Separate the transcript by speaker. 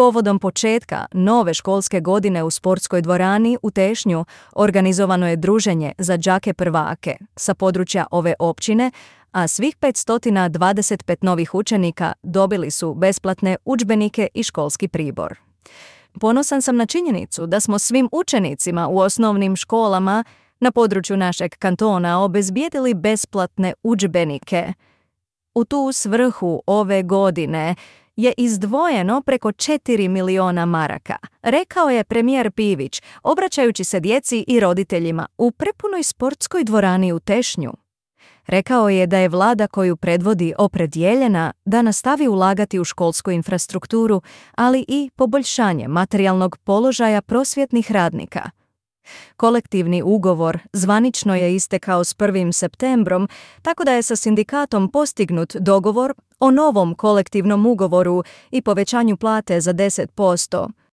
Speaker 1: Povodom početka nove školske godine u sportskoj dvorani u Tešnju organizovano je druženje za đake prvake sa područja ove općine, a svih 525 novih učenika dobili su besplatne udžbenike i školski pribor. Ponosan sam na činjenicu da smo svim učenicima u osnovnim školama na području našeg kantona obezbijedili besplatne udžbenike. U tu svrhu ove godine je izdvojeno preko 4 miliona maraka, rekao je premijer Pivić, obraćajući se djeci i roditeljima u prepunoj sportskoj dvorani u Tešnju. Rekao je da je vlada koju predvodi opredjeljena da nastavi ulagati u školsku infrastrukturu, ali i poboljšanje materijalnog položaja prosvjetnih radnika. Kolektivni ugovor zvanično je istekao s 1. septembrom, tako da je sa sindikatom postignut dogovor o novom kolektivnom ugovoru i povećanju plate za 10%,